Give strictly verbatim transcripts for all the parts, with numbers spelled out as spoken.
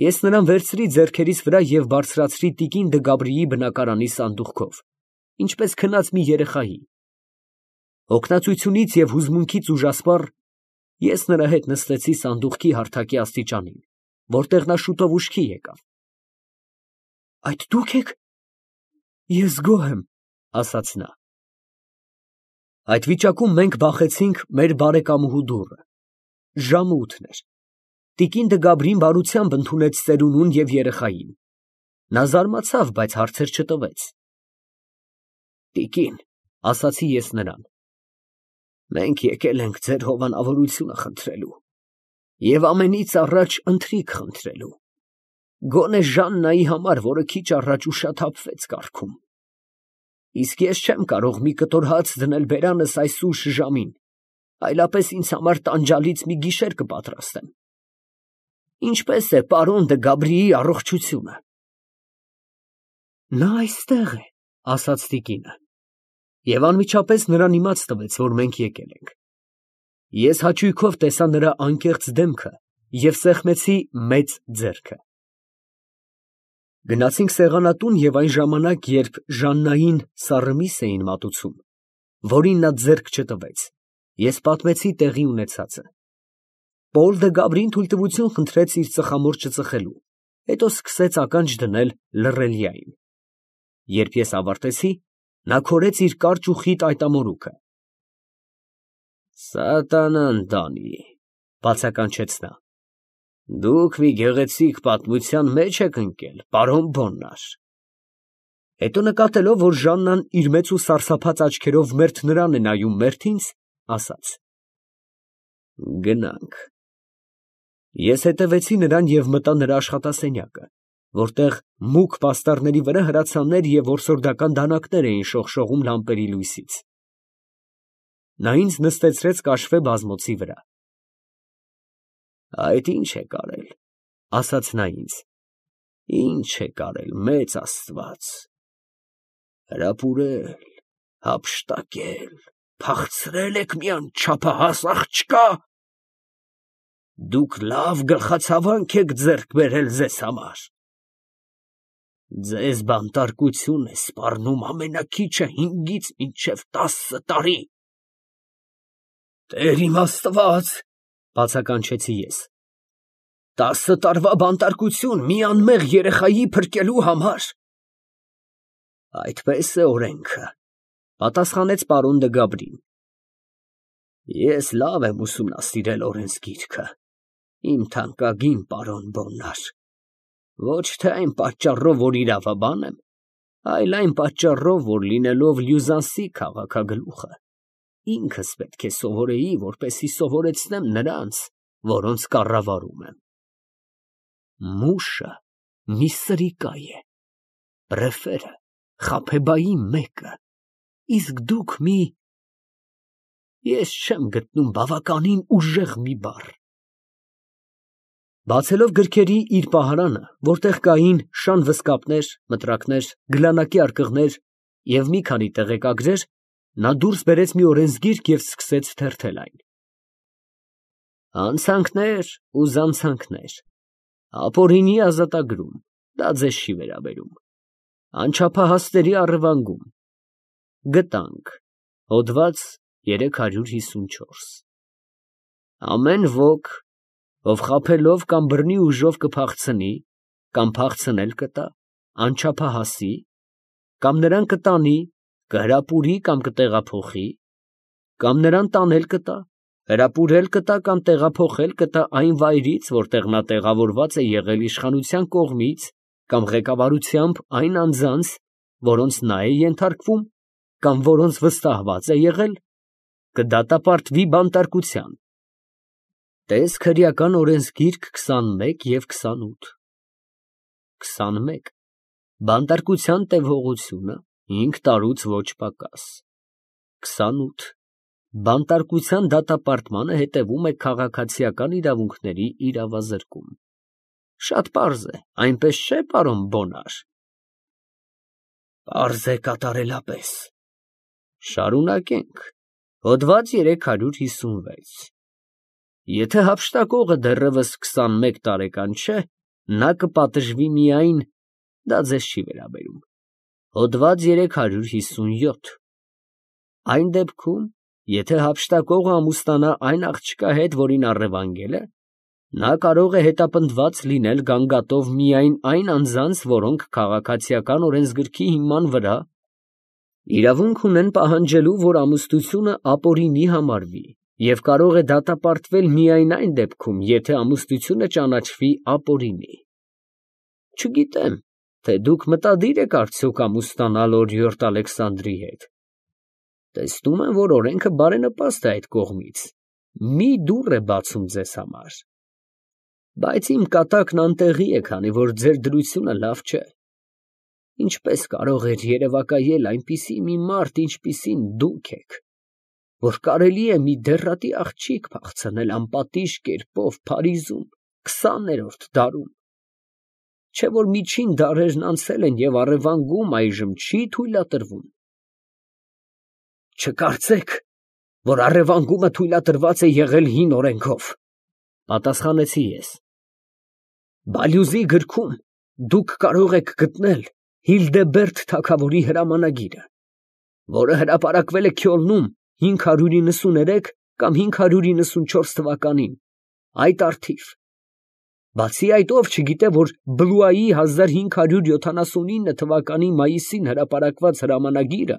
Ես նրան վերցրի ձեռքերիս վրա և բարձրացրի տիկին Դգաբրիի բնակարանի սանդուղքով, ինչպես քնած մի երեխայի. հոգնածությունից և հուզմունքից ուժասպառ, ես նրա հետ նստեցի սանդուղքի հարթակի աստիճանին, որտեղ նա շուտով ուշքի եկավ։ ֊ Այդ դու՞ք եք. ես գոհ եմ, ֊ ասաց նա։ Այդ վիճակում մենք բախեցինք մեր բարեկամուհու դուռը։ Ժամը ութն էր։ Տիկին Դգաբրին բարությամբ ընդունեց ծերունուն և երեխային։ Նա զարմացավ, բայց հարցեր չտվեց։ Տիկին, ֊ ասացի ես նրան, ֊ մենք եկել ենք ձեր հովանավորությունը խնդրելու և ամենից առաջ ընթրիք խնդրելու, գոնե Ժաննայի համար, որը քիչ առաջ ուշաթափվեց կառքում։ Իսկ ես չեմ կարող մի կտոր հաց դնել բերանս այս ուշ ժամին, այլապես ինձ համար տանջալից մի գիշեր կպատրաստեմ։ Ինչպե՞ս է պարոն Դգաբրիի առողջությունը։ Նա այստեղ է, ֊ ասաց տիկինը, և անմիջապես նրան իմաց տվեց, որ մենք եկել ենք։ Ես հաճույքով տեսա նրա անկեղծ դեմքը և սեղմեցի մեծ ձեռքը։ Գնացինք սեղանատուն և այն ժամանակ, երբ Ժաննային սառը միս էին մատուցում, որին նա ձեռք չտվեց, ես պատմեցի տեղի ունեցածը։ Պոլ Դգաբրին թույլտվություն խնդրեց իր ծխամորճը ծխելու, հետո սկսեց ականջ դնել լռելիային։ Երբ ես ավարտեցի, նա քորեց իր կարճ ու խիտ այտամորուքը։ Սատանան տանի, ֊ բացականչեց նա, ֊ դուք մի գեղեցիկ պատմության մեջ եք ընկել, պարոն Բոննար։ Հետո նկատելով, որ Ժաննան իր մեծ ու սարսափած աչքերով մերթ նրան է նայում, մերթ ինձ, ասաց. Գնանք։ Ես հետևեցի նրան և մտա նրա աշխատասենյակը, որտեղ մուգ պաստառների վրա հրացաններ և որսորդական դանակներ էին շողշողում լամպերի լույսից։ Նա ինձ նստեցրեց կաշվե բազմոցի վրա։ Այդ ի՞նչ եք արել, ֊ ասաց նա ինձ, ֊ ի՞նչ եք արել, մեծ Աստված, հրապուրել, հափշտակել, փախցրել եք մի անչափահաս աղջկա։ Դուք լավ գլխացավանք եք ձեռք բերել ձեզ համար։ Ձեզ բանտարկություն է սպառնում ամենաքիչը հինգից մինչև տասը տարի։ Տեր իմ Աստված, ֊ բացականչեցի ես, տասը տարվա բանտարկություն մի անմեղ երեխայի փրկելու համար։ Այդպես է օրենքը, ֊ պատասխանեց պարոն Դգաբրին։ Ես լավ եմ ուսումնասիրել օրենսգիրքը, իմ թանկագին պարոն Բոննար, ոչ թե այն պատճառով, որ իրավաբան եմ, այլ այն պատճառով, որ լինելով Լյուզանսի քաղաքագլուխը, ինքս պետք է սովորեի, որպեսզի սովորեցնեմ նրանց, որոնց կառավարում եմ։ Մուշը մի սրիկա է, պրեֆերը Խաբեբայի մեկը, իսկ դուք մի… Ես չեմ գտնում բավականին ուժեղ մի բառ։ Բացելով գրքերի իր պահարանը, որտեղ կային շան վզկապներ, մտրակներ, գլանակի արկղներ և մի քանի տեղեկագրեր, նա դուրս բերեց մի օրենսգիրք և սկսեց թերթել այն։ Հանցանքներ ու զանցանքներ, ապօրինի ազատագրում, դա ձեզ չի վերաբերում, անչափահասների առևանգում, գտանք, հոդված երեք հարյուր հիսունչորս։ Ամեն ոք, ով խաբելով կամ բռնի ուժով կփախցնի, կամ փախցնել կտա, անչափահասի, կամ նրան կտանի, կհրապուրի կամ կտեղափոխի, կամ նրան տանել կտա, հրապուրել կտա կամ տեղափոխել կտա այն վայրից, որտեղ նա տեղավորված է եղել իշխանության կողմից կամ ղեկավարությամբ այն անձանց, որոնց նա է ենթարկվում, կամ որոնց վստահված է եղել, կդատապարտվի բանտարկության։ Տես քրեական օրենսգիրք քսանմեկ և քսանութ։ քսանմեկ. Բանտարկության տևողությունը հինգ տարուց ոչ պակաս։ քսանութ. Բանտարկության դատապարտմանը հետևում է քաղաքացիական իրավունքների իրավազրկում։ Շատ պարզ է, այնպես չէ՞, պարոն Բոննար։ Պարզ է կատարելապես։ Շարունակենք, հոդված երեք հարյուր հիսունվեց։ Եթե հափշտակողը դեռևս քսանմեկ տարեկան չէ, նա կպատժվի միայն, դա ձեզ չի վերաբերում, հոդված երեք հարյուր հիսունյոթ, այն դեպքում, եթե հափշտակողը ամուսնանա այն աղջկա հետ, որին առևանգել է, նա կարող է հետապնդված լինել գանգատով միայն այն անձանց, որոնք քաղաքացիական օրենսգրքի հիման վրա իրավունք ունեն պահանջելու, որ ամուսնությունը ապօրինի համարվի, և կարող է դատապարտվել միայն այն դեպքում, եթե ամուսնությունը ճանաչվի ապօրինի։ Չգիտեմ, թե դուք մտադիր եք արդյոք ամուսնանալ օրիորդ Ալեքսանդրի հետ։ Տեսնում եմ, որ օրենքը բարենպաստ է այդ կողմից, մի դուռ է բացում ձեզ համար։ Բայց իմ կատակն անտեղի է, քանի որ ձեր դրությունը լավ չէ։ Ինչպես կարող էր երևակայել այնպիսի մի մարդ, ինչպիսին դուք եք, որ կարելի է մի դեռատի աղջիկ փախցնել անպատիժ կերպով Փարիզում, քսաներորդ դարում, չէ՞ որ միջին դարերն անցել են և առևանգում այժմ չի թույլատրվում։ Չկարծեք, որ առևանգումը թույլատրված է եղել հին օրենքով, պատասխանեցի ես։ Բալյուզի գրքում դուք կարող եք գտնել Հիլդեբերդ թագավորի հրամանագիրը, որը հրապարակվել է Քյոլնում հինգ հարյուր իննսուներեք կամ հինգ հարյուր իննսունչորս թվականին, այդ առթիվ։ Բացի այդ, ով չգիտե, որ Բլուայի հազար հինգ հարյուր յոթանասունինը թվականի մայիսին հրապարակված հրամանագիրը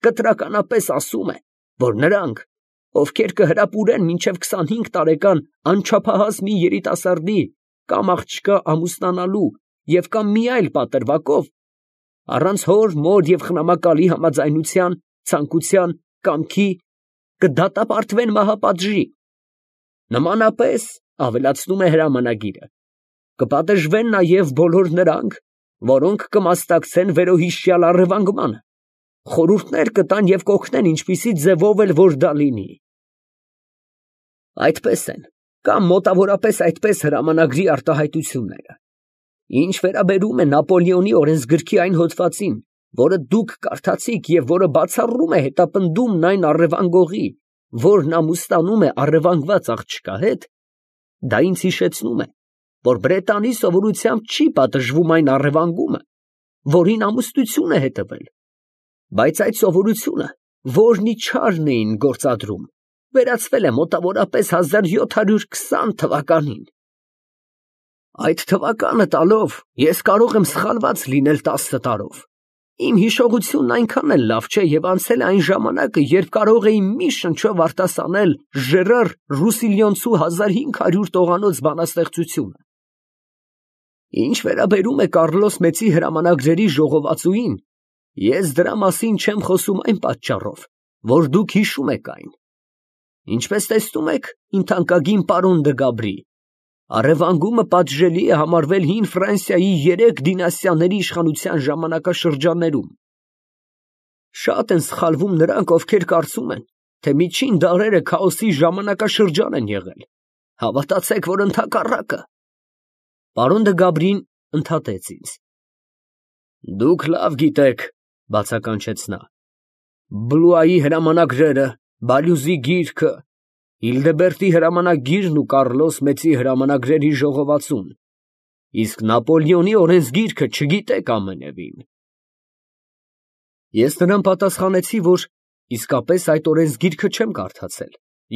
կտրականապես ասում է, որ նրանք, ովքեր կհրապուրեն մինչև քսանհինգ տարեկան անչափահաս մի երիտասարդի կամ աղջկա ամուսնանալու և կամ մի այլ պատրվակով, առանց հոր, մոր և խնամակալի համաձայնության, ցանկության, կամքի, կդատապարտվեն մահապատժի։ Նմանապես, ավելացնում է հրամանագիրը, կպատժվեն նաև բոլոր նրանք, որոնք կմասնակցեն վերոհիշյալ առևանգմանը, խորհուրդներ կտան և կօգնեն ինչպիսի ձևով էլ որ դա լինի։ Այդպես են, կամ մոտավորապես այդպես հրամանագրի արտահայտությունները։ Ինչ վերաբերում է Նապոլեոնի օրենսգրքի այն հոդվածին, որը դուք կարդացիք և որը բացառում է հետապնդումն այն առևանգողի, որն ամուսնանում է առևանգված աղջկա հետ, դա ինձ հիշեցնում է, որ Բրետանի սովորությամբ չի պատժվում այն առևանգումը, որին ամուսնություն է հետևել, բայց այդ սովորությունը, որն իչարն էին գործադրում, վերացվել է մոտավորապես հազար յոթ հարյուր քսան թվականին։ Այդ թվականը տալով ես կարող եմ սխալված լինել տասը տարով։ Իմ հիշողությունն այնքան էլ լավ չէ և անցել է այն ժամանակը, երբ կարող էի մի շնչով արտասանել Ժերար Ռուսիլիոնցու հազար հինգ հարյուր տողանոց բանաստեղծությունը։ Ինչ վերաբերում է Կառլոս Մեծի հրամանագրերի ժողովածուին, ես դրա մասին չեմ խոսում այն պատճառով, որ դուք հիշում եք այն։ Ինչպես տեսնում եք, իմ թանկագին պարոն դը Գաբրի, առևանգումը պատժելի է համարվել հին Ֆրանսիայի երեք դինաստիաների իշխանության ժամանակաշրջաններում։ Շատ են սխալվում նրանք, ովքեր կարծում են, թե միջին դարերը քաոսի ժամանակաշրջան են եղել։ Հավատացեք, որ ընդհակառակը։ Պարոն դը Գաբրին ընդհատեց ինձ։ Դուք լավ գիտեք, բացականչեց նա, Բլուայի հրամանագրերը, Բալյուզի գիրքը, Հիլդեբերտի հրամանագիրն ու Կառլոս Մեծի հրամանագրերի ժողովածուն, իսկ Նապոլեոնի օրենսգիրքը չգիտեք ամենևին։ Ես նրան պատասխանեցի, որ իսկապես այդ օրենսգիրքը չեմ կարդացել,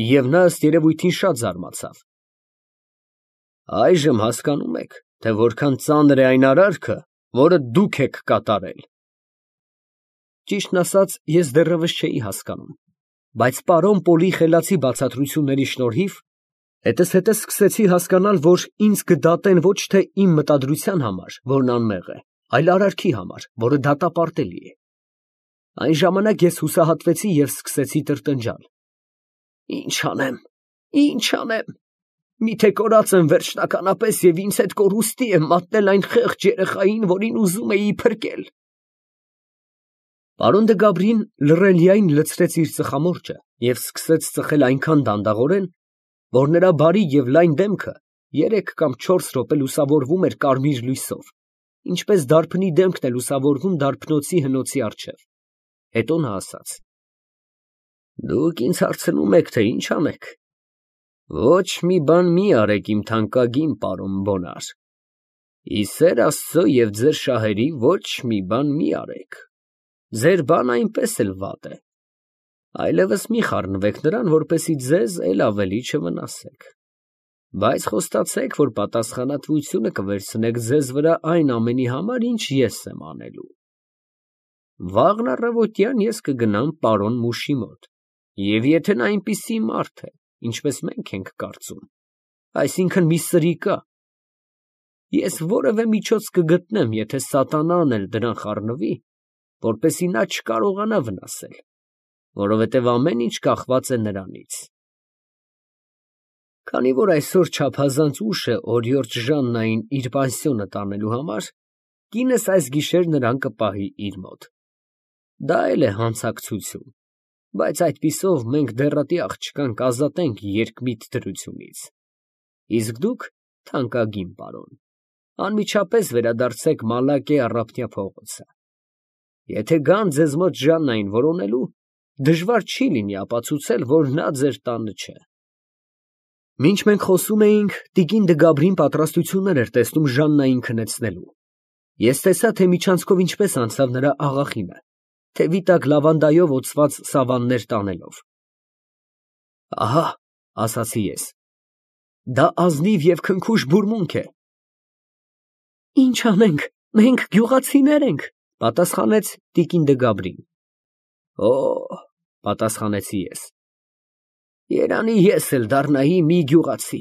և նա ըստ երևույթին շատ զարմացավ։ Այժմ հասկանում եք, թե որքան ծանր է այն արարքը, որը դուք եք կատարել։ Ճիշտն ասած, ես դեռևս չէի հասկանում, բայց պարոն Պոլի խելացի բացատրությունների շնորհիվ հետզհետե սկսեցի հասկանալ, որ ինձ կդատեն ոչ թե իմ մտադրության համար, որն անմեղ է, այլ արարքի համար, որը դատապարտելի է։ Այն ժամանակ ես հուսահատվեցի և սկսեցի տրտնջալ. Ի՞նչ անեմ, ի՞նչ անեմ, միթե կորած եմ վերջնականապես և ինձ հետ կորուստի եմ մատնել այն խեղճ երեխային, որին ուզում էի փրկել։ Պարոն դը Գաբրին լռելիայն լցրեց իր ծխամորճը և սկսեց ծխել այնքան դանդաղորեն, որ նրա բարի և լայն դեմքը երեք կամ չորս րոպե լուսավորվում էր կարմիր լույսով, ինչպես դարբնի դեմքն է լուսավորվում դարբնոցի հնոցի առջև։ Հետո նա ասաց. Դուք ինձ հարցնում եք, թե ինչ անեք։ Ոչ մի բան մի արեք, իմ թանկագին պարոն Բոնար։ Ի սեր Աստծո և ձեր շահերի ոչ մի բան մի արեք, ձեր բան այնպես էլ վատ է, այլևս մի խառնվեք նրան, որպեսզի ձեզ էլ ավելի չվնասեք, բայց խոստացեք, որ պատասխանատվությունը կվերցնեք ձեզ վրա այն ամենի համար, ինչ ես եմ անելու։ Վաղն առավոտյան ես կգնամ պարոն Մուշի մոտ, և եթե նա այնպիսի մարդ է, ինչպես մենք ենք կարծում, այսինքն մի սրիկա, ես որևէ միջոց կգտնեմ, եթե սատանան էլ դրան խառնվի, որպեսզի նա չկարողանա վնասել, որովհետև ամեն ինչ կախված է նրանից։ Քանի որ այսօր չափազանց ուշ է օրիորդ Ժաննային իր պանսիոնը տանելու համար, կինս այս գիշեր նրան կպահի իր մոտ։ Դա էլ է հանցակցություն, բայց այդպիսով մենք դեռատի աղջկան կազատենք երկմիտ դրությունից։ Իսկ դուք, թանկագին պարոն, անմիջապես վերադարձեք Մալակե առափնյա փողոցը։ Եթե գան ձեզ մոտ Ժաննային որոնելու, դժվար չի լինի ապացուցել, որ նա ձեր տանը չէ։ Մինչ մենք խոսում էինք, տիկին Դգաբրին պատրաստություններ էր տեսնում Ժաննային քնեցնելու։ Ես տեսա, թե միջանցքով ինչպես անցավ նրա աղախինը, թևի տակ լավանդայով օծված սավաններ տանելով։ Ահա, ասացի ես, դա ազնիվ և քնքուշ բուրմունք է։ Ինչ անենք, մենք գյուղացիներ ենք, պատասխանեց տիկին Դգաբրին։ Օ, պատասխանեցի ես, երանի ես էլ դառնայի մի գյուղացի,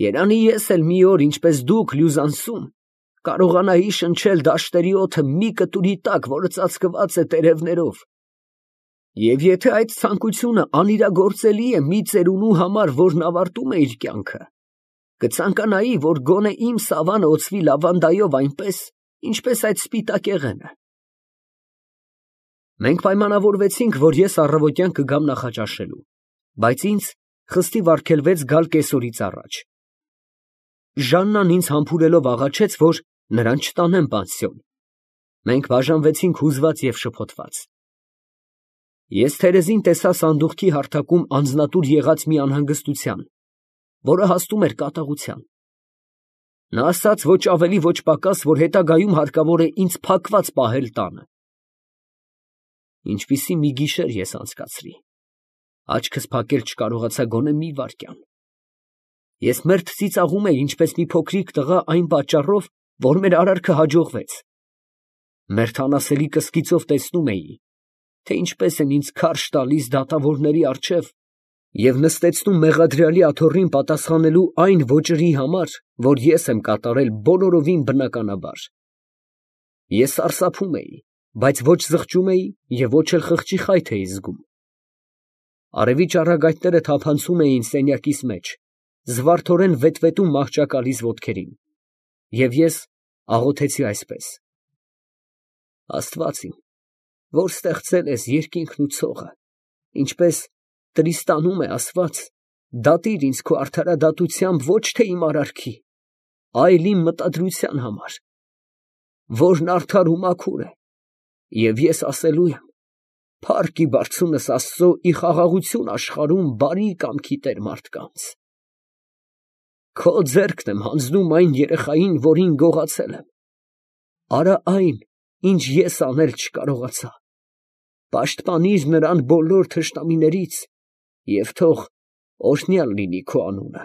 երանի ես էլ մի օր, ինչպես դուք Լյուզանսում, կարողանայի շնչել դաշտերի օդը մի կտուրի տակ, որը ծածկված է տերևներով, և եթե այդ ցանկությունը անիրագործելի է մի ծերունու համար, որն ավարտում է իր կյանքը, կցանկանայի, որ գոնե իմ սավանը օծվի լավանդայով այնպես, ինչպես այդ սպիտակեղենը։ Մենք պայմանավորվեցինք, որ ես առավոտյան կգամ նախաճաշելու, բայց ինձ խստիվ արգելվեց գալ կեսօրից առաջ։ Ժաննան ինձ համբուրելով աղաչեց, որ նրան չտանեմ պանսիոն։ Մենք բաժանվեցինք հուզված և շփոթված։ Ես թերեզին տեսա սանդուղքի հարթակում անձնատուր եղած մի անհանգստության, որը հասնում էր կատաղության։ Նա ասաց ոչ ավելի, ոչ պակաս, որ հետագայում հարկավոր է ինձ փակված պահել տանը։ Ինչպիսի մի գիշեր ես անցկացրի, աչքս փակել չկարողացա գոնե մի վայրկյան։ Ես մերթ ծիծաղում էի, ինչպես մի փոքրիկ տղա այն պատճառով, որ մեր արարքը հաջողվեց։ Մերթ անասելի կսկիծով տեսնում էի, թե ինչպես են ինձ քարշ տալիս դատավորների առջև և նստեցնում մեղադրյալի աթոռին պատասխանելու այն ոճրի համար, որ ես եմ կատարել բոլորովին բնականաբար։ Ես սարսափում էի, բայց ոչ զղջում էի և ոչ էլ խղճի խայթ էի զգում։ Արևի ճառագայթները թափանցում էին սենյակիս մեջ, զվարթորեն վետվետում մահճակալիս ոտքերին, և ես աղոթեցի այսպես. Աստված իմ, որ ստեղծել ես երկինքն ու ցողը, ինչպես Տրիստանում է ասված, դատիր ինձ քո արդարադատությամբ ոչ թե իմ արարքի, այլ իմ մտադրության համար, որն արդար ու մաքուր է, և ես ասելու եմ. փառք ի բարձունս Աստծո ի խաղաղություն աշխարհում բարի կամքի տեր մարդկանց։ Քո ձեռքն եմ հանձնում այն երեխային, որին գողացել եմ, արա այն, ինչ ես անել չկարողացա, պաշտպանիր նրան բոլոր թշնամիներից և թող օրհնյալ լինի քո անունը։